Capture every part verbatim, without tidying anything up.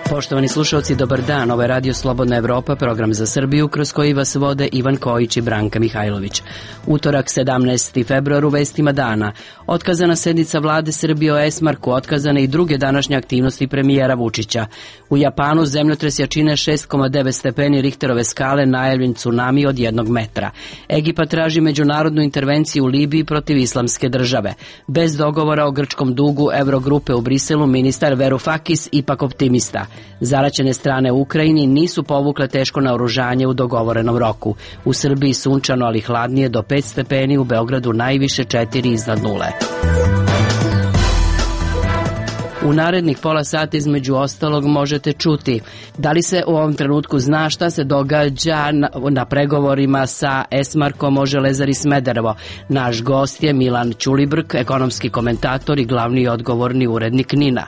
Poštovani slušalci, dobar dan. Ovo je Radio Slobodna Evropa, program za Srbiju, kroz koji vas vode Ivan Kojić i Branka Mihajlović. Utorak, sedamnaesti februar, u vestima dana. Otkazana sednica vlade Srbije o Esmarku, otkazane i druge današnje aktivnosti premijera Vučića. U Japanu zemljotres jačine šest zarez devet stepeni Richterove skale, najavljen tsunami od jednog metra. Egipat traži međunarodnu intervenciju u Libiji protiv islamske države. Bez dogovora o grčkom dugu Evrogrupe u Briselu, ministar Varoufakis ipak optimista. Zaraćene strane u Ukrajini nisu povukle teško naoružanje u dogovorenom roku. U Srbiji sunčano, ali hladnije do pet stepeni, u Beogradu najviše četiri iznad nule. U narednih pola sata između ostalog možete čuti da li se u ovom trenutku zna šta se događa na, na pregovorima sa Esmarkom o Železari Smederevo. Naš gost je Milan Ćulibrk, ekonomski komentator i glavni i odgovorni urednik NIN-a.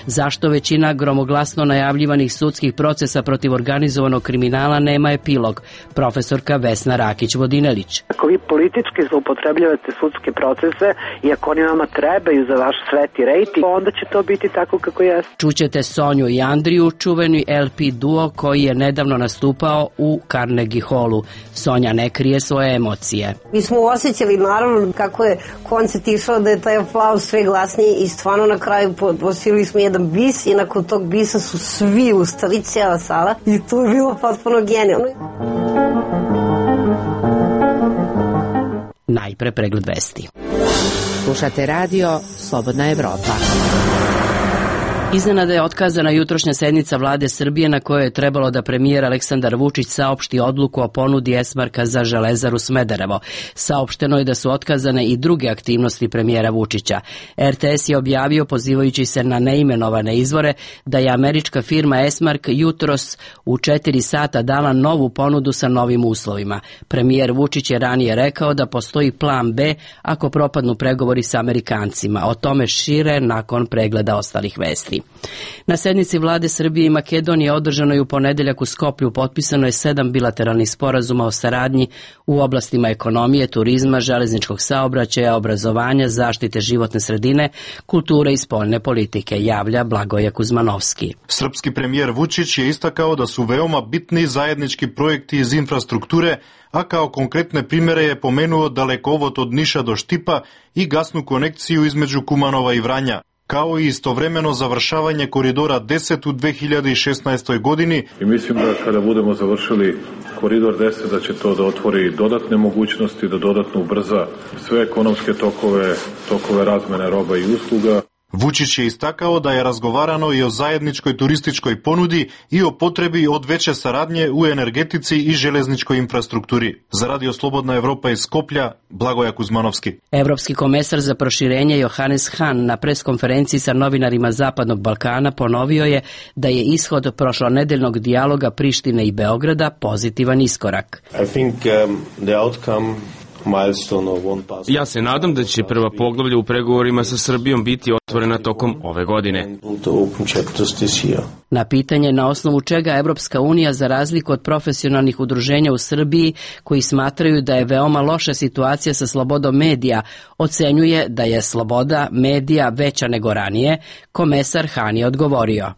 Zašto većina gromoglasno najavljivanih sudskih procesa protiv organizovanog kriminala nema epilog? Profesorka Vesna Rakić-Vodinelić. Ako vi politički zloupotrebljavate sudske procese i ako oni vama trebaju za vaš sveti rejting, onda će to biti tako kako je. Čućete Sonju i Andriju, čuveni L P duo koji je nedavno nastupao u Carnegie Hallu. Sonja ne krije svoje emocije. Mi smo osjećali naravno kako je koncert išao, da je taj aplauz sve glasniji i stvarno na kraju posili smo jedan bis i nakon tog bisa su svi ustali, cijela sala, i to je bilo potpuno genijalno. Najpre pregled vesti. Slušate radio Slobodna Evropa. Iznenada je otkazana jutrošnja sednica vlade Srbije na kojoj je trebalo da premijer Aleksandar Vučić saopšti odluku o ponudi Esmarka za Železaru Smederevo. Saopšteno je da su otkazane i druge aktivnosti premijera Vučića. R T S je objavio, pozivajući se na neimenovane izvore, da je američka firma Esmark jutros u četiri sata dala novu ponudu sa novim uslovima. Premijer Vučić je ranije rekao da postoji plan B ako propadnu pregovori sa Amerikancima. O tome šire nakon pregleda ostalih vesti. Na sednici vlade Srbije i Makedonije održanoj u ponedeljak u Skoplju potpisano je sedam bilateralnih sporazuma o saradnji u oblastima ekonomije, turizma, železničkog saobraćaja, obrazovanja, zaštite životne sredine, kulture i spoljne politike, javlja Blagoje Kuzmanovski. Srpski premijer Vučić je istakao da su veoma bitni zajednički projekti iz infrastrukture, a kao konkretne primere je pomenuo dalekovod od Niša do Štipa i gasnu konekciju između Kumanova i Vranja, kao i istovremeno završavanje koridora deset u dve hiljade šesnaestoj godini. I mislim da kada budemo završili koridor deset da će to da otvori dodatne mogućnosti, da dodatno ubrza sve ekonomske tokove, tokove razmene roba i usluga. Vučić je istakao da je razgovarano i o zajedničkoj turističkoj ponudi i o potrebi od veće saradnje u energetici i železničkoj infrastrukturi. Za Radio Slobodna Evropa iz Skoplja, Blagoje Kuzmanovski. Evropski komesar za proširenje Johannes Hahn na preskonferenciji sa novinarima Zapadnog Balkana ponovio je da je ishod prošlonedeljnog dijaloga Prištine i Beograda pozitivan iskorak. I think um, the outcome Ja se nadam da će prva poglavlja u pregovorima sa Srbijom biti otvorena tokom ove godine. Na pitanje na osnovu čega Evropska unija, za razliku od profesionalnih udruženja u Srbiji koji smatraju da je veoma loša situacija sa slobodom medija, ocenjuje da je sloboda medija veća nego ranije, komesar Hahn je odgovorio.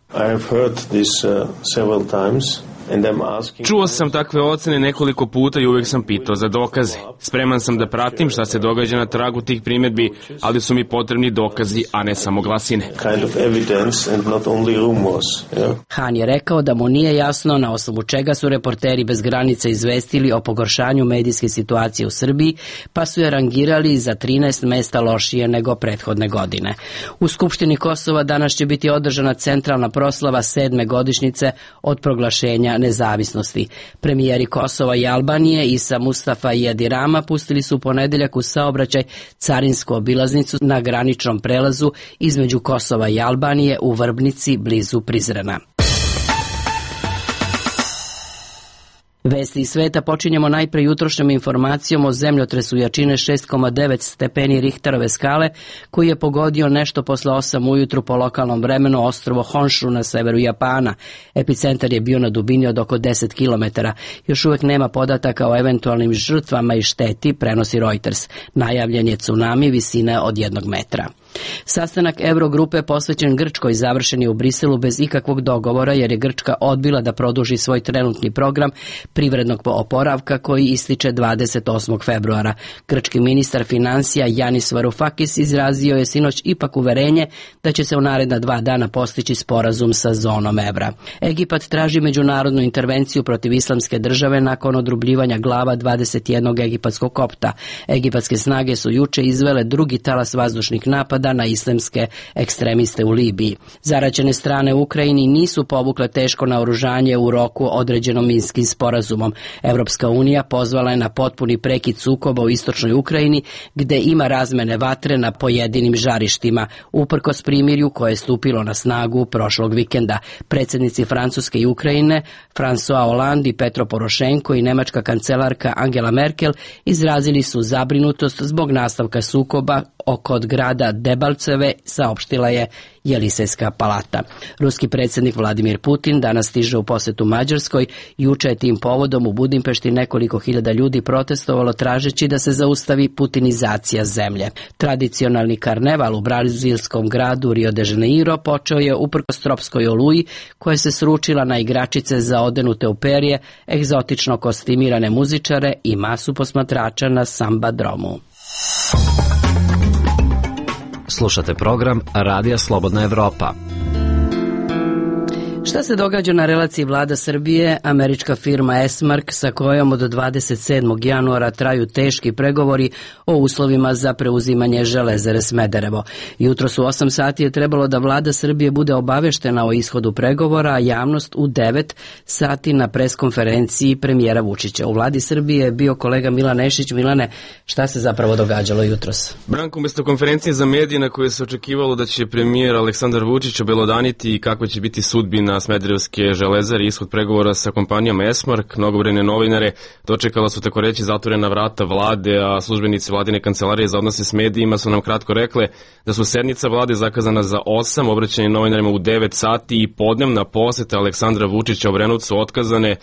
Čuo sam takve ocene nekoliko puta i uvek sam pitao za dokaze. Spreman sam da pratim šta se događa na tragu tih primjedbi, ali su mi potrebni dokazi, a ne samo glasine. Hahn je rekao da mu nije jasno na osnovu čega su reporteri bez granica izvestili o pogoršanju medijske situacije u Srbiji, pa su je rangirali za trinaest mesta lošije nego prethodne godine. U Skupštini Kosova danas će biti održana centralna proslava sedme godišnjice od proglašenja nezavisnosti. Premijeri Kosova i Albanije Isa Mustafa i Edi Rama pustili su u ponedeljak u saobraćaj carinsku obilaznicu na graničnom prelazu između Kosova i Albanije u Vrbnici blizu Prizrena. Vesti iz sveta počinjemo najpre jutrošnjom informacijom o zemljotresu jačine šest zarez devet stepeni Richterove skale, koji je pogodio nešto posle osam ujutru po lokalnom vremenu ostrvo Honshu na severu Japana. Epicentar je bio na dubini od oko deset kilometara. Još uvek nema podataka o eventualnim žrtvama i šteti, prenosi Reuters. Najavljen je tsunami visine od jednog metra. Sastanak Eurogrupe posvećen Grčkoj završen je u Briselu bez ikakvog dogovora, jer je Grčka odbila da produži svoj trenutni program privrednog oporavka koji ističe dvadeset osmog februara. Grčki ministar finansija Yanis Varoufakis izrazio je sinoć ipak uverenje da će se u naredna dva dana postići sporazum sa zonom evra. Egipat traži međunarodnu intervenciju protiv islamske države nakon odrubljivanja glava dvadeset jednog egipatskog kopta. Egipatske snage su juče izvele drugi talas vazdušnih napada na islamske ekstremiste u Libiji. Zaraćene strane u Ukrajini nisu povukle teško naoružanje u roku određenom Minskim sporazumom. Evropska unija pozvala je na potpuni prekid sukoba u istočnoj Ukrajini, gde ima razmene vatre na pojedinim žarištima, uprkos primirju koje je stupilo na snagu prošlog vikenda. Predsjednici Francuske i Ukrajine, François Hollande i Petro Porošenko i nemačka kancelarka Angela Merkel izrazili su zabrinutost zbog nastavka sukoba oko grada Debalceve, saopštila je Jelisejska palata. Ruski predsjednik Vladimir Putin danas stiže u posetu Mađarskoj. Juče je tim povodom u Budimpešti nekoliko hiljada ljudi protestovalo tražeći da se zaustavi putinizacija zemlje. Tradicionalni karneval u brazilskom gradu Rio de Janeiro počeo je uprkos tropskoj oluji koja se sručila na igračice zaodenute u perje, egzotično kostimirane muzičare i masu posmatrača na sambadromu. Slušate program Radija Slobodna Evropa. Šta se događa na relaciji vlada Srbije, američka firma Esmark, sa kojom od dvadeset sedmog januara traju teški pregovori o uslovima za preuzimanje Železare Smederevo. Jutro su osam sati je trebalo da vlada Srbije bude obaveštena o ishodu pregovora, a javnost u devet sati na preskonferenciji premijera Vučića. U vladi Srbije je bio kolega Milan Nešić. Milane, šta se zapravo događalo jutros? Branko, umjesto konferencije za medije na koje se očekivalo da će premijer Aleksandar Vučić obelodaniti kako će biti sudbina Smederevske Železare i ishod pregovora sa kompanijom Esmark, mnogobrojne novinare dočekala su tako reći zatvorena vrata vlade, a službenici vladine kancelarije za odnose s medijima su nam kratko rekle da su sednica vlade zakazana za osam, obraćanje novinarima u devet sati i podnevna poseta Aleksandra Vučića Obrenovcu otkazane,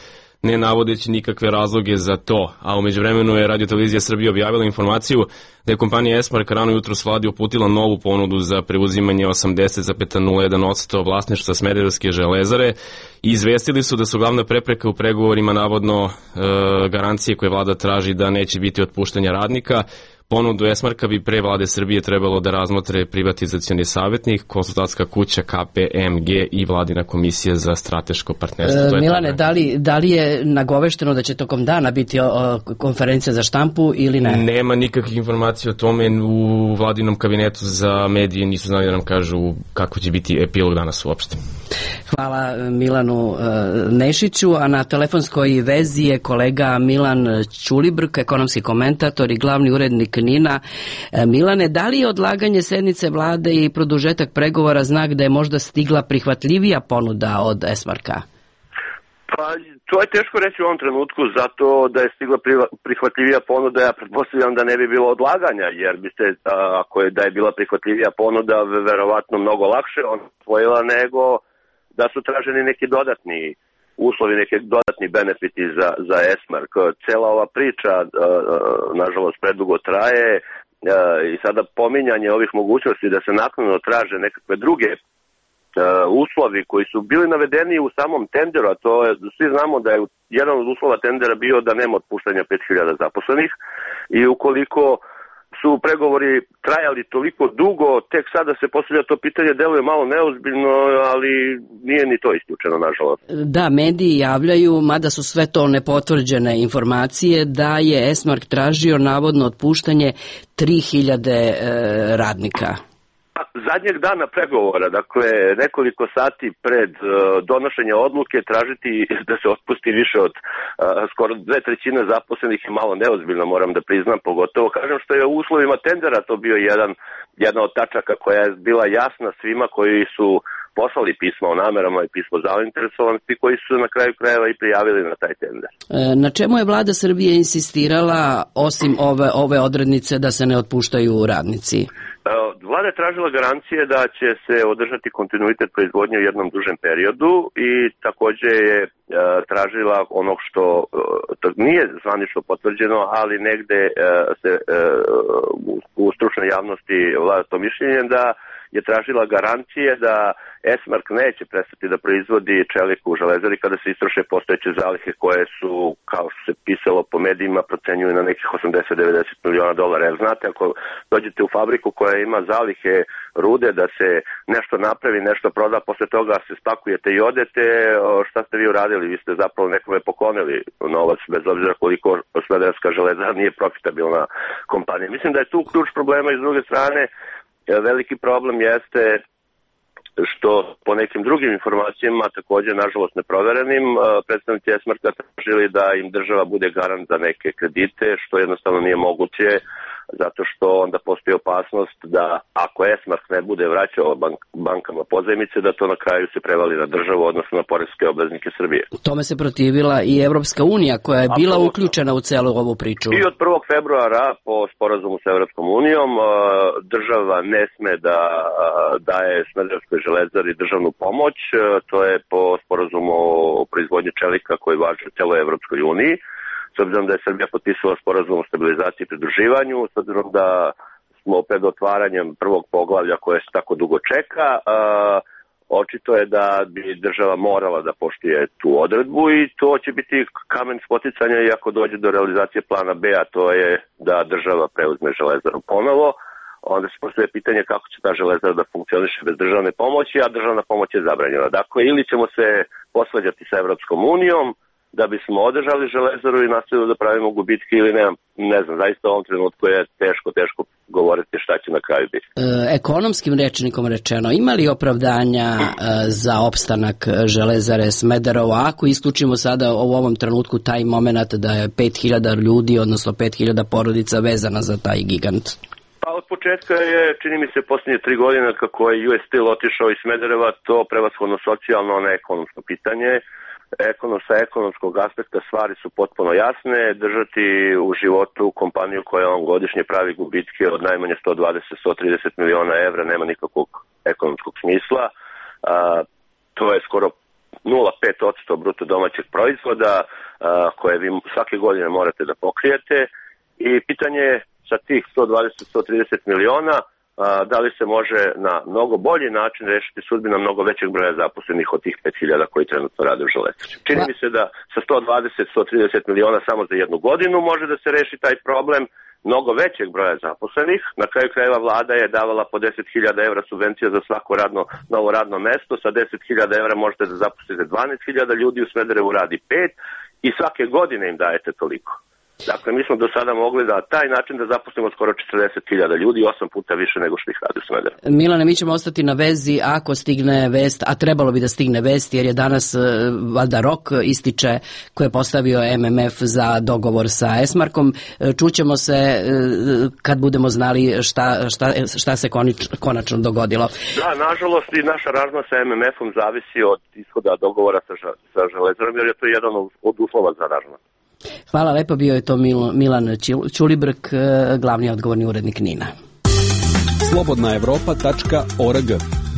ne navodeći nikakve razloge za to. A u međuvremenu je Radio Televizija Srbije objavila informaciju da je kompanija Esmark rano jutros vladi uputila novu ponudu za preuzimanje osamdeset zarez nula jedan posto vlasništva Smederevske Železare i izvestili su da su glavna prepreka u pregovorima navodno e, garancije koje vlada traži da neće biti otpuštanja radnika. Ponudu Esmarka bi pre vlade Srbije trebalo da razmotre privatizacioni savjetnik, konsultantska kuća K P M G i vladina komisija za strateško partnerstvo. E, Milane, da li, da li je nagovešteno da će tokom dana biti o, o, konferencija za štampu ili ne? Nema nikakvih informacija o tome. U vladinom kabinetu za medije nisu znali da nam kažu kako će biti epilog danas uopšte. Hvala Milanu e, Nešiću, a na telefonskoj vezi je kolega Milan Ćulibrk, ekonomski komentator i glavni urednik Nina. E, Milane, da li je odlaganje sednice vlade i produžetak pregovora znak da je možda stigla prihvatljivija ponuda od Esmarka? Pa, to je teško reći u ovom trenutku, zato da je stigla prihvatljivija ponuda, ja pretpostavljam da ne bi bilo odlaganja, jer bi se, ako je da je bila prihvatljivija ponuda, verovatno mnogo lakše on osvojila nego da su traženi neki dodatni uslovi, neki dodatni benefiti za, za Esmark. Cela ova priča, nažalost, predugo traje i sada pominjanje ovih mogućnosti da se naknadno traže nekakve druge uslovi koji su bili navedeni u samom tenderu, a to je, svi znamo da je jedan od uslova tendera bio da nema otpuštanja pet hiljada zaposlenih i ukoliko su pregovori trajali toliko dugo, tek sada se postavlja to pitanje, deluje malo neozbiljno, ali nije ni to isključeno, nažalost. Da, mediji javljaju, mada su sve to nepotvrđene informacije, da je Esmark tražio navodno otpuštanje tri hiljade e, radnika. Zadnjeg dana pregovora, dakle nekoliko sati pred uh, donošenja odluke, tražiti da se otpusti više od uh, skoro dve trećine zaposlenih je malo neozbiljno, moram da priznam, pogotovo kažem što je u uslovima tendera to bio jedan, jedna od tačaka koja je bila jasna svima koji su poslali pisma o namerama i pismo zainteresovanosti koji su na kraju krajeva i prijavili na taj tender. Na čemu je vlada Srbije insistirala osim ove, ove odrednice da se ne otpuštaju radnici? Vlada je tražila garancije da će se održati kontinuitet proizvodnje u jednom dužem periodu i takođe je e, tražila ono što to nije zvanično potvrđeno, ali negde e, se e, u, u stručnoj javnosti vlada to mišljenje da je tražila garancije da Esmark neće prestati da proizvodi čelik u Železari kada se istroše postojeće zalihe koje su, kao što se pisalo po medijima, procenjuju na nekih osamdeset do devedeset miliona dolara. Jer znate, ako dođete u fabriku koja ima zalihe rude da se nešto napravi, nešto proda, posle toga se spakujete i odete, šta ste vi uradili? Vi ste zapravo nekome poklonili novac, bez obzira koliko Smederevska Železara nije profitabilna kompanija. Mislim da je tu ključ problema i s druge strane. Veliki problem jeste što po nekim drugim informacijama, također nažalost neproverenim, predstavnici Esmarka tražili da im država bude garant za neke kredite, što jednostavno nije moguće, zato što onda postoji opasnost da ako Esmark ne bude vraćao bank, bankama pozajmice, da to na kraju se prevali na državu, odnosno na poreske obveznike Srbije. Tome se protivila i Evropska unija koja je bila Absolutno. uključena u celu ovu priču. I od prvog februara po sporazumu sa Evropskom unijom država ne sme da daje Smederevskoj Železari državnu pomoć, to je po sporazumu o proizvodnji čelika koji važi u celoj Evropskoj uniji. S obzirom da je Srbija potpisala sporazum o stabilizaciji i pridruživanju, s obzirom da smo pred otvaranjem prvog poglavlja koje se tako dugo čeka, a, očito je da bi država morala da poštuje tu odredbu i to će biti kamen spoticanja i ako dođe do realizacije plana B, a to je da država preuzme Železaru ponovo, onda se postoje pitanje kako će ta Železara da funkcioniše bez državne pomoći, a državna pomoć je zabranjena. Dakle, ili ćemo se posvađati sa Evropskom unijom, da bismo održali Železaru i nastavili da pravimo gubitke ili ne, ne znam, zaista u ovom trenutku je teško, teško govoriti šta će na kraju biti. E, ekonomskim rečnikom rečeno, ima li opravdanja e, za opstanak Železare Smederevo, ako isključimo sada u ovom trenutku taj moment da je pet hiljada ljudi, odnosno pet hiljada porodica vezana za taj gigant? Pa od početka je, čini mi se, posljednje tri godine kako je U S Steel otišao iz Smedereva, to prevashodno socijalno, a ne ekonomsko pitanje. Ekonom, sa ekonomskog aspekta stvari su potpuno jasne. Držati u životu kompaniju koja on godišnje pravi gubitke od najmanje sto dvadeset do sto trideset miliona evra nema nikakvog ekonomskog smisla. A, to je skoro nula zarez pet posto bruto domaćeg proizvoda a, koje vi svake godine morate da pokrijete. I pitanje je sa tih sto dvadeset do sto trideset miliona da li se može na mnogo bolji način rešiti sudbina mnogo većeg broja zaposlenih od tih pet hiljada koji trenutno rade u Železari. Čini mi se da sa sto dvadeset do sto trideset miliona samo za jednu godinu može da se reši taj problem mnogo većeg broja zaposlenih. Na kraju krajeva vlada je davala po deset hiljada evra subvencija za svako radno, novo radno mesto. Sa deset hiljada evra možete da zaposlite dvanaest hiljada ljudi, u Smederevu radi pet i svake godine im dajete toliko. Dakle, mi smo do sada mogli da taj način da zaposlimo skoro četrdeset hiljada ljudi, osam puta više nego što ih radi u Smederevu. Milane, mi ćemo ostati na vezi ako stigne vest, a trebalo bi da stigne vest, jer je danas valjda rok ističe koje je postavio M M F za dogovor sa Esmarkom. Čućemo se kad budemo znali šta, šta, šta se konič, konačno dogodilo. Da, nažalost i naša razma sa M M F-om zavisi od ishoda dogovora sa, sa Železarom, jer je to jedan od uslova za razma. Hvala lepo, bio je to Milan Ćulibrk, glavni odgovorni urednik Nina. slobodna evropa tačka org.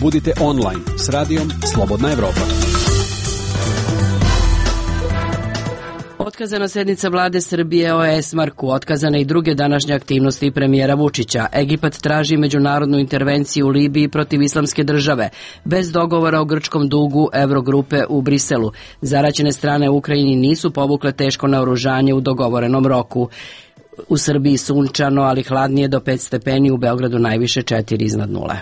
Budite online s radijom Slobodna Evropa. Otkazana sednica vlade Srbije o Esmarku, otkazane i druge današnje aktivnosti premijera Vučića. Egipat traži međunarodnu intervenciju u Libiji protiv islamske države, bez dogovora o grčkom dugu Evrogrupe u Briselu. Zaraćene strane u Ukrajini nisu povukle teško naoružanje u dogovorenom roku. U Srbiji sunčano, ali hladnije do pet stepeni, u Beogradu najviše četiri iznad nule.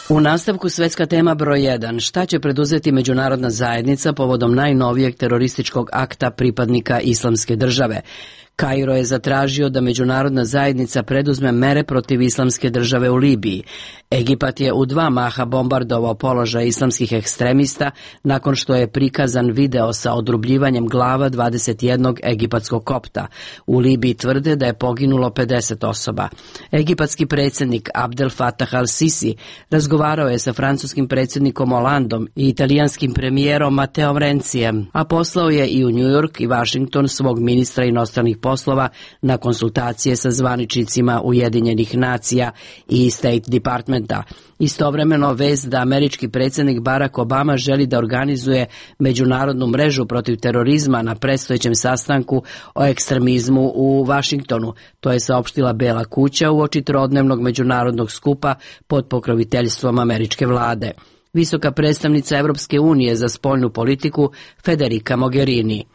U nastavku svetska tema broj jedan. Šta će preduzeti međunarodna zajednica povodom najnovijeg terorističkog akta pripadnika islamske države? Kairo je zatražio da međunarodna zajednica preduzme mere protiv islamske države u Libiji. Egipat je u dva maha bombardovao položaj islamskih ekstremista nakon što je prikazan video sa odrubljivanjem glava dvadeset jednog egipatskog kopta. U Libiji tvrde da je poginulo pedeset osoba. Egipatski predsjednik Abdel Fattah al-Sisi razgovarao je sa francuskim predsjednikom Hollandom i italijanskim premijerom Matteom Rencijem, a poslao je i u New York i Washington svog ministra inostranih poslova na konsultacije sa zvaničnicima Ujedinjenih nacija i State Departmenta. Istovremeno vest da američki predsjednik Barack Obama želi da organizuje međunarodnu mrežu protiv terorizma na predstojećem sastanku o ekstremizmu u Washingtonu. To je saopštila Bela kuća uoči trodnevnog međunarodnog skupa pod pokroviteljstvom američke vlade. Visoka predstavnica Evropske unije za spoljnu politiku Federica Mogherini.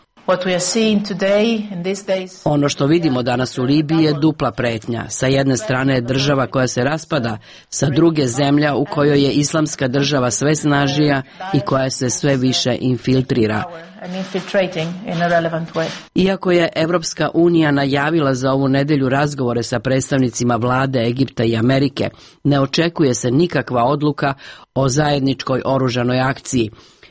Ono što vidimo danas u Libiji je dupla pretnja. Sa jedne strane je država koja se raspada, sa druge zemlja u kojoj je islamska država sve snažija i koja se sve više infiltrira. Iako je Evropska unija najavila za ovu nedelju razgovore sa predstavnicima vlade Egipta i Amerike, ne očekuje se nikakva odluka o zajedničkoj oružanoj akciji.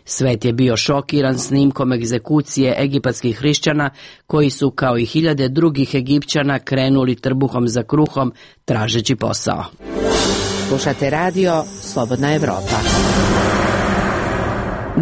Svet je bio šokiran snimkom egzekucije egipatskih hrišćana koji su kao i hiljade drugih Egipćana krenuli trbuhom za kruhom tražeći posao. Slušate radio Slobodna Evropa.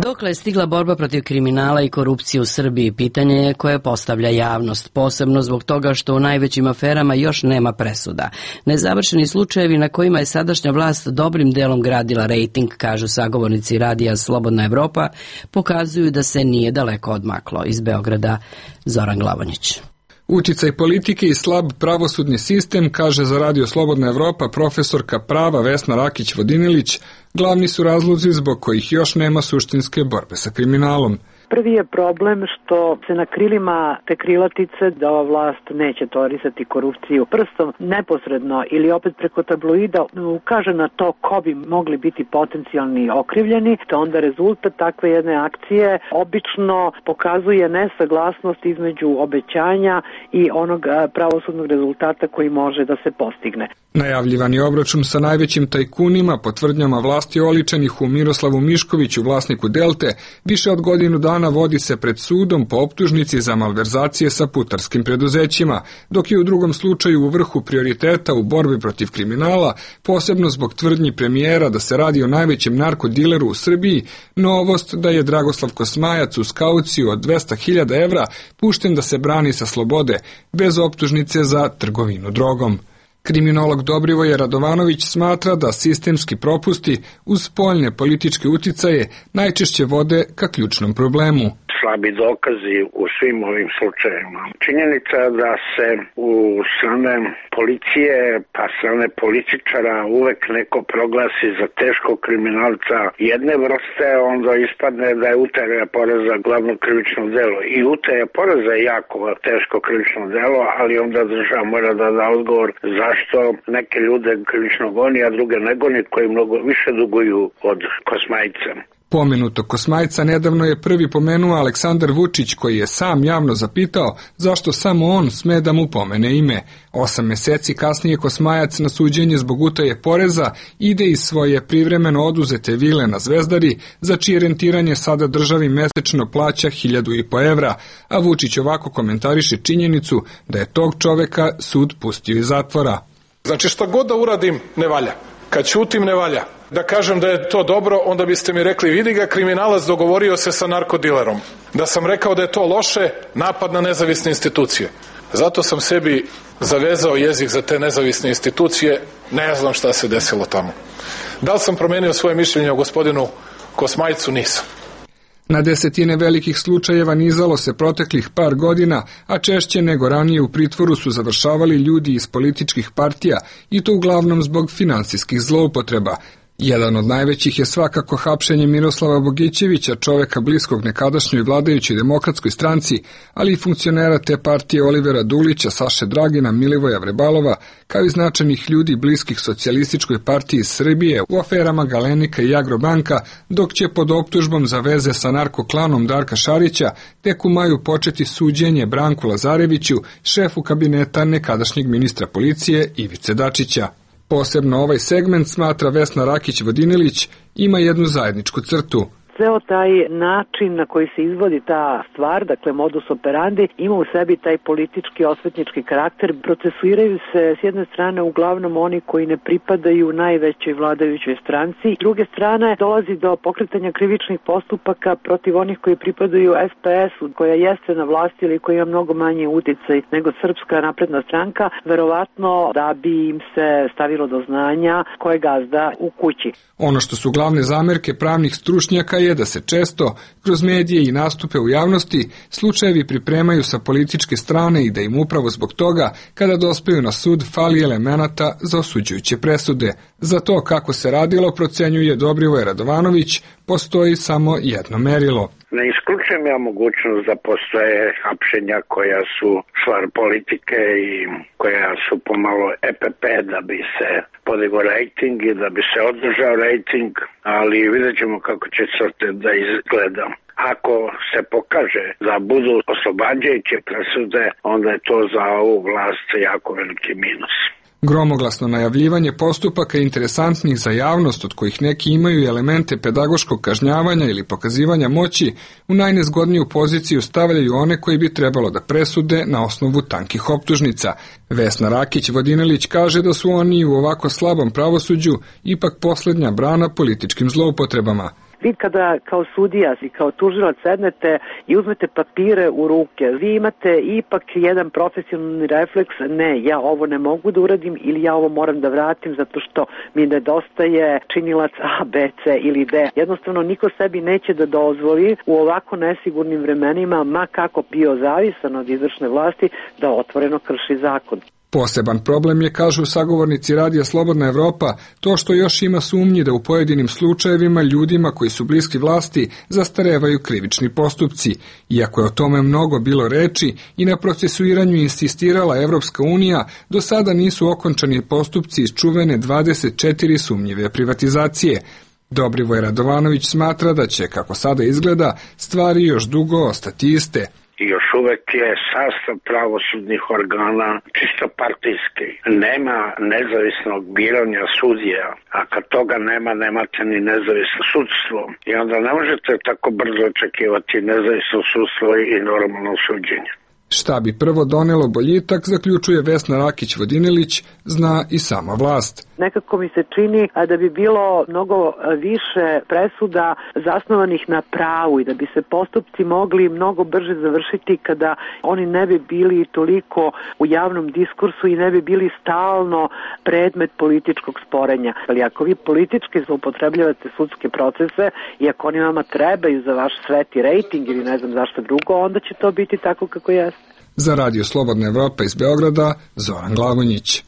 Dokle je stigla borba protiv kriminala i korupcije u Srbiji, pitanje je koje postavlja javnost, posebno zbog toga što u najvećim aferama još nema presuda. Nezavršeni slučajevi na kojima je sadašnja vlast dobrim delom gradila rejting, kažu sagovornici radija Slobodna Evropa, pokazuju da se nije daleko odmaklo. Iz Beograda, Zoran Glavonjić. Uticaj politike i slab pravosudni sistem, kaže za radio Slobodna Evropa profesorka prava Vesna Rakić-Vodinilić, glavni su razlozi zbog kojih još nema suštinske borbe sa kriminalom. Prvi je problem što se na krilima te krilatice da ova vlast neće tolerisati korupciju prstom neposredno ili opet preko tabloida ukaže na to ko bi mogli biti potencijalni okrivljeni, to onda rezultat takve jedne akcije obično pokazuje nesaglasnost između obećanja i onog pravosudnog rezultata koji može da se postigne. Najavljivani obračun sa najvećim tajkunima po tvrdnjama vlasti oličenih u Miroslavu Miškoviću, vlasniku Delte, više od godinu dana vodi se pred sudom po optužnici za malverzacije sa putarskim preduzećima, dok je u drugom slučaju u vrhu prioriteta u borbi protiv kriminala, posebno zbog tvrdnji premijera da se radi o najvećem narkodileru u Srbiji, novost da je Dragoslav Kosmajac uz kauciju od dvesta hiljada evra pušten da se brani sa slobode, bez optužnice za trgovinu drogom. Kriminolog Dobrivoje Radovanović smatra da sistemski propusti uz spoljne političke uticaje najčešće vode ka ključnom problemu. Slabi dokazi u svim ovim slučajevima. Činjenica da se u strane policije pa strane političara uvek neko proglasi za teškog kriminalca jedne vrste, onda ispadne da je utaja poreza glavno krivično delo. I utaja poreza je jako teško krivično delo, ali onda država mora da da odgovor zašto neke ljude krivično goni, a druge ne goni, koji mnogo više duguju od Kosmajca. Pomenuto Kosmajca nedavno je prvi pomenuo Aleksandar Vučić, koji je sam javno zapitao zašto samo on sme da mu pomene ime. Osam meseci kasnije Kosmajac na suđenje zbog utaje poreza ide iz svoje privremeno oduzete vile na Zvezdari, za čije rentiranje sada državi mesečno plaća hiljadu i po evra, a Vučić ovako komentariše činjenicu da je tog čoveka sud pustio iz zatvora. Znači šta god da uradim ne valja. Kad ćutim ne valja. Da kažem da je to dobro, onda biste mi rekli vidi ga, kriminalac dogovorio se sa narkodilerom. Da sam rekao da je to loše, napad na nezavisne institucije. Zato sam sebi zavezao jezik za te nezavisne institucije, ne znam šta se desilo tamo. Da li sam promenio svoje mišljenje o gospodinu Kosmajcu? Nisam. Na desetine velikih slučajeva nizalo se proteklih par godina, a češće nego ranije u pritvoru su završavali ljudi iz političkih partija i to uglavnom zbog finansijskih zloupotreba. Jedan od najvećih je svakako hapšenje Miroslava Bogićevića, čoveka bliskog nekadašnjoj vladajućoj demokratskoj stranci, ali i funkcionera te partije Olivera Dulića, Saše Dragina, Milivoja Vrebalova, kao i značajnih ljudi bliskih socijalističkoj partiji Srbije u aferama Galenika i Agrobanka, dok će pod optužbom za veze sa narkoklanom Darka Šarića tek u maju početi suđenje Branku Lazareviću, šefu kabineta nekadašnjeg ministra policije Ivice Dačića. Posebno ovaj segment, smatra Vesna Rakić-Vodinilić, ima jednu zajedničku crtu. Ceo taj način na koji se izvodi ta stvar, dakle modus operandi, ima u sebi taj politički, osvetnički karakter. Procesuiraju se s jedne strane uglavnom oni koji ne pripadaju najvećoj vladajućoj stranci. S druge strane dolazi do pokretanja krivičnih postupaka protiv onih koji pripadaju es pe esu, koja jeste na vlasti ili koja ima mnogo manji uticaj nego Srpska napredna stranka, verovatno da bi im se stavilo do znanja ko je gazda u kući. Ono što su glavne zamerke pravnih stručnjaka je da se često, kroz medije i nastupe u javnosti, slučajevi pripremaju sa političke strane i da im upravo zbog toga, kada dospeju na sud, fali elemenata za osuđujuće presude. Za to kako se radilo, procenjuje Dobrivoje Radovanović, postoji samo jedno merilo. Ne isključujem ja mogućnost da postoje hapšenja koja su stvar politike i koja su pomalo e pe pe da bi se podigao rejting i da bi se održao rejting, ali vidjet ćemo kako će crte da izgleda. Ako se pokaže da budu oslobađajuće presude, onda je to za ovu vlast jako veliki minus. Gromoglasno najavljivanje postupaka interesantnih za javnost, od kojih neki imaju elemente pedagoškog kažnjavanja ili pokazivanja moći, u najnezgodniju poziciju stavljaju one koji bi trebalo da presude na osnovu tankih optužnica. Vesna Rakić-Vodinilić kaže da su oni u ovako slabom pravosuđu ipak posljednja brana političkim zloupotrebama. Vi kada kao sudija i kao tužilac sednete i uzmete papire u ruke, vi imate ipak jedan profesionalni refleks, ne, ja ovo ne mogu da uradim ili ja ovo moram da vratim zato što mi nedostaje činilac A, B, C ili D. Jednostavno niko sebi neće da dozvoli u ovako nesigurnim vremenima, ma kako bio zavisan od izvršne vlasti, da otvoreno krši zakon. Poseban problem je, kažu sagovornici Radija Slobodna Evropa, to što još ima sumnji da u pojedinim slučajevima ljudima koji su bliski vlasti zastarevaju krivični postupci. Iako je o tome mnogo bilo reči i na procesuiranju insistirala Evropska unija, do sada nisu okončani postupci iz čuvene dvadeset četiri sumnjive privatizacije. Dobrivoje Radovanović smatra da će, kako sada izgleda, stvari još dugo ostati iste. I još uvek je sastav pravosudnih organa čisto partijski. Nema nezavisnog biranja sudija, a kad toga nema, nemate ni nezavisno sudstvo. I onda ne možete tako brzo očekivati nezavisno sudstvo i normalno suđenje. Šta bi prvo donelo boljitak, zaključuje Vesna Rakić-Vodinilić, zna i sama vlast. Nekako mi se čini da bi bilo mnogo više presuda zasnovanih na pravu i da bi se postupci mogli mnogo brže završiti kada oni ne bi bili toliko u javnom diskursu i ne bi bili stalno predmet političkog sporenja. Ali ako vi politički zloupotrebljavate sudske procese i ako oni vama trebaju za vaš sveti rejting ili ne znam zašto drugo, onda će to biti tako kako jeste. Za Radio Slobodna Evropa iz Beograda, Zoran Glavonjić.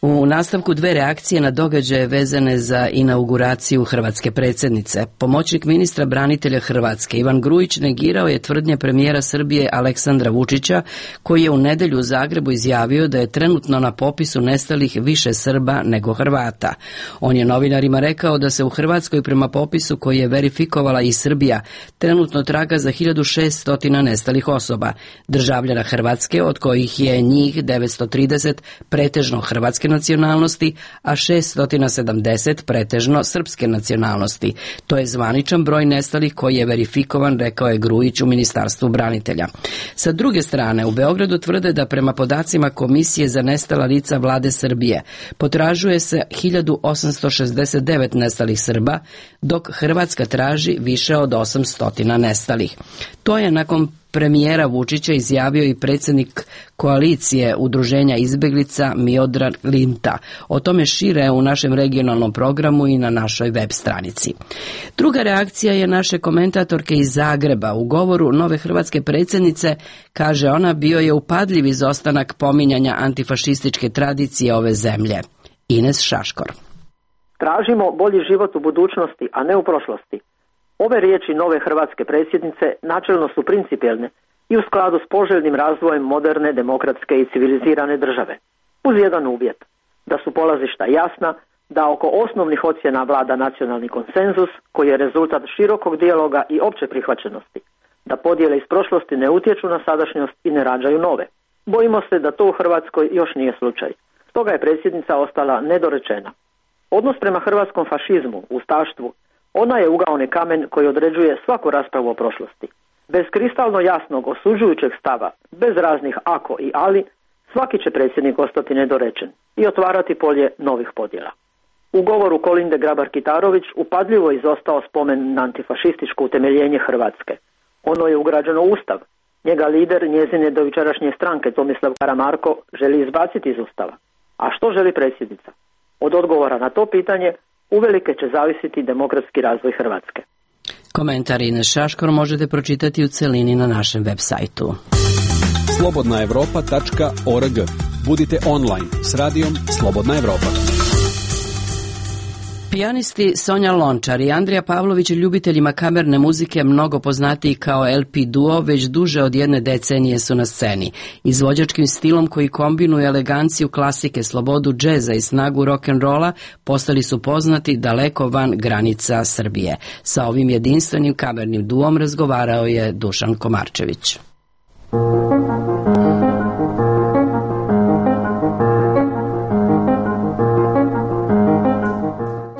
U nastavku dve reakcije na događaje vezane za inauguraciju hrvatske predsjednice. Pomoćnik ministra branitelja Hrvatske Ivan Grujić negirao je tvrdnje premijera Srbije Aleksandra Vučića, koji je u nedelju u Zagrebu izjavio da je trenutno na popisu nestalih više Srba nego Hrvata. On je novinarima rekao da se u Hrvatskoj prema popisu koji je verifikovala i Srbija trenutno traga za hiljadu šeststo nestalih osoba, državljana Hrvatske, od kojih je njih devetsto trideset pretežno hrvatske nacionalnosti, a šeststo sedamdeset pretežno srpske nacionalnosti. To je zvaničan broj nestalih koji je verifikovan, rekao je Grujić u Ministarstvu branitelja. Sa druge strane, u Beogradu tvrde da prema podacima Komisije za nestala lica vlade Srbije potražuje se hiljadu osamsto šezdeset devet nestalih Srba, dok Hrvatska traži više od osamsto nestalih. To je nakon premijera Vučića izjavio i predsjednik koalicije udruženja izbjeglica Miodrag Linta. O tome šire u našem regionalnom programu i na našoj web stranici. Druga reakcija je naše komentatorke iz Zagreba. U govoru nove hrvatske predsjednice, kaže ona, bio je upadljiv izostanak pominjanja antifašističke tradicije ove zemlje. Ines Šaškor. Tražimo bolji život u budućnosti, a ne u prošlosti. Ove riječi nove hrvatske predsjednice načelno su principijelne i u skladu s poželjnim razvojem moderne, demokratske i civilizirane države. Uz jedan uvjet, da su polazišta jasna, da oko osnovnih ocjena vlada nacionalni konsenzus koji je rezultat širokog dijaloga i opće prihvaćenosti, da podjele iz prošlosti ne utječu na sadašnjost i ne rađaju nove. Bojimo se da to u Hrvatskoj još nije slučaj. Stoga je predsjednica ostala nedorečena. Odnos prema hrvatskom fašizmu, ustaštvu, ona je ugaoni kamen koji određuje svaku raspravu o prošlosti. Bez kristalno jasnog osuđujućeg stava, bez raznih ako i ali, svaki će predsjednik ostati nedorečen i otvarati polje novih podjela. U govoru Kolinde Grabar-Kitarović upadljivo izostao spomen na antifašističko utemeljenje Hrvatske. Ono je ugrađeno u Ustav. Njega lider njezine dojučerašnje stranke Tomislav Karamarko želi izbaciti iz Ustava. A što želi predsjednica? Od odgovora na to pitanje uvelike će zavisiti demokratski razvoj Hrvatske. Komentar Ines Šaškor možete pročitati u celini na našem web sajtu. slobodna evropa tačka org. Budite online s radijom Slobodna Evropa. Pijanisti Sonja Lončar i Andrija Pavlović, ljubiteljima kamerne muzike mnogo poznatiji kao el pi duo, već duže od jedne decenije su na sceni. Izvođačkim stilom koji kombinuje eleganciju klasike, slobodu džeza i snagu rock'n'rolla postali su poznati daleko van granica Srbije. Sa ovim jedinstvenim kamernim duom razgovarao je Dušan Komarčević.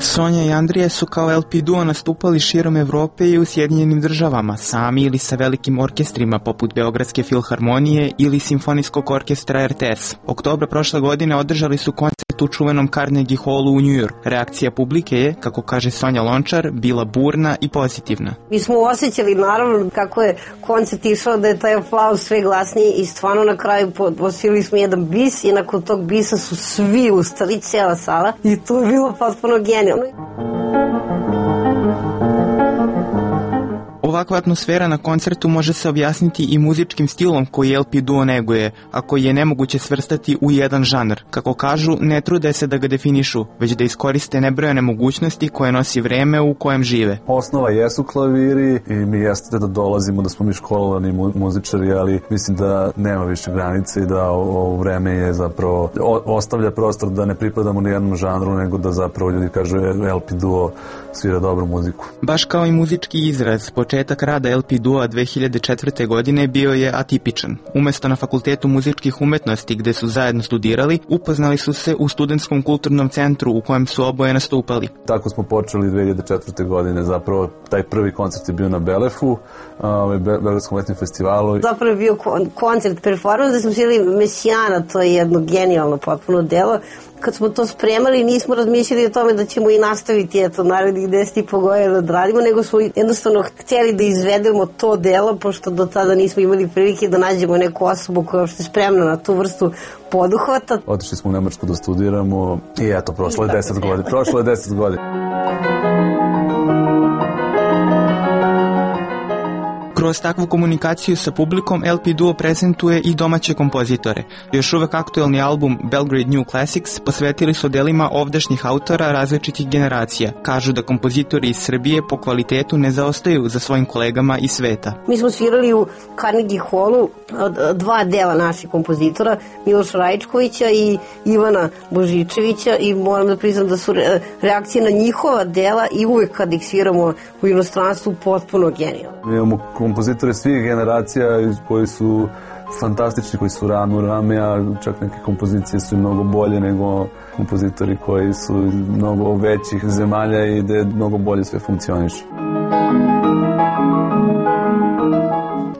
Sonja i Andrija su kao el pi duo nastupali širom Evrope i u Sjedinjenim državama, sami ili sa velikim orkestrima poput Beogradske filharmonije ili Simfonijskog orkestra er te es. Oktobra prošle godine održali su koncert u čuvenom Carnegie Hallu u New York. Reakcija publike je, kako kaže Sonja Lončar, bila burna i pozitivna. Mi smo osjećali naravno kako je koncert išao, da je taj aplauz sve glasniji i stvarno na kraju posili smo jedan bis i nakon tog bisa su svi ustali, cijela sala, i to je bilo potpuno genijalno. Ovakva atmosfera na koncertu može se objasniti i muzičkim stilom koji el pi duo neguje, a koji je nemoguće svrstati u jedan žanr. Kako kažu, ne trude se da ga definišu, već da iskoriste nebrojene mogućnosti koje nosi vreme u kojem žive. Osnova jesu klaviri i mi jeste da dolazimo, da smo mi školovani muzičari, ali mislim da nema više granice i da ovo vreme je zapravo ostavlja prostor da ne pripadamo ni jednom žanru, nego da zapravo ljudi kažu el pi duo svira dobru muziku. Baš kao i muzički izraz, početak rada el pi duo dve hiljade četvrte. godine bio je atipičan. Umesto na Fakultetu muzičkih umetnosti gde su zajedno studirali, upoznali su se u Studentskom kulturnom centru u kojem su oboje nastupali. Tako smo počeli dve hiljade četvrte. godine, zapravo taj prvi koncert je bio na Belefu, ovaj Beogradskom letnjem festivalu. Zapravo je bio koncert performans da smo svili Mesijana, to je jedno genijalno potpuno delo. Kad smo to spremali, nismo razmišljali o tome da ćemo i nastaviti eto narednih deset i po godina da radimo, nego smo jednostavno htjeli da izvedemo to delo, pošto do tada nismo imali prilike da nađemo neku osobu koja je uopšte spremna na tu vrstu poduhvata. Otišli smo u Nemačku da studiramo i eto, prošlo je deset godina. Prošlo je deset godina. Kroz takvu komunikaciju sa publikom el pi duo prezentuje i domaće kompozitore. Još uvek aktuelni album Belgrade New Classics posvetili su delima ovdašnjih autora različitih generacija. Kažu da kompozitori iz Srbije po kvalitetu ne zaostaju za svojim kolegama iz sveta. Mi smo svirali u Carnegie Hallu dva dela naših kompozitora, Miloša Rajičkovića i Ivana Božičevića, i moram da priznam da su reakcije na njihova dela i uvek kad ih sviramo u inostranstvu potpuno genijalne. Imamo kompozitori svih generacija koji su fantastični, koji su rame u rame, a čak neke kompozicije su mnogo bolje nego kompozitori koji su mnogo većih zemalja i gde mnogo bolje sve funkcioniše.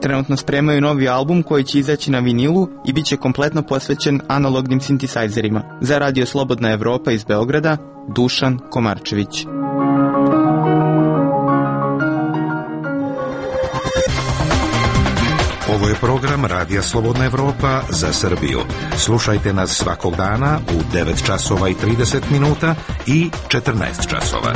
Trenutno spremaju novi album koji će izaći na vinilu i bit će kompletno posvećen analognim sintisajzerima. Za Radio Slobodna Evropa iz Beograda, Dušan Komarčević. Ovo je program Radija Slobodna Evropa za Srbiju. Slušajte nas svakog dana u devet časova i trideset minuta i četrnaest časova.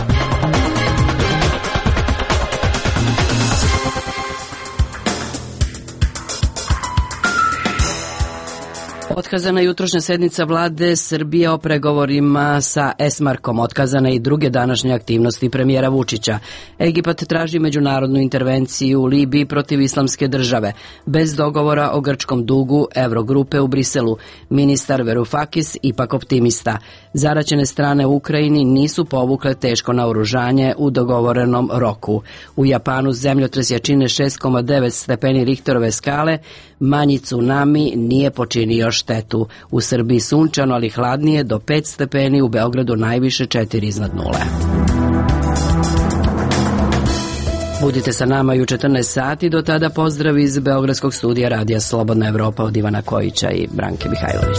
Otkazana je jutrošnja sednica vlade Srbije o pregovorima sa Esmarkom, otkazana i druge današnje aktivnosti premijera Vučića. Egipat traži međunarodnu intervenciju u Libiji protiv islamske države, bez dogovora o grčkom dugu Evrogrupe u Briselu. Ministar Varoufakis ipak optimista. Zaraćene strane u Ukrajini nisu povukle teško naoružanje u dogovorenom roku. U Japanu zemljotres jačine šest zarez devet stepeni Richterove skale, manji tsunami nije počinio štetu. U Srbiji sunčano, ali hladnije do pet stepeni, u Beogradu najviše četiri iznad nule. Budite sa nama i u četrnaest sati, do tada pozdrav iz Beogradskog studija Radija Slobodna Evropa od Ivana Kojića i Branke Mihajlović.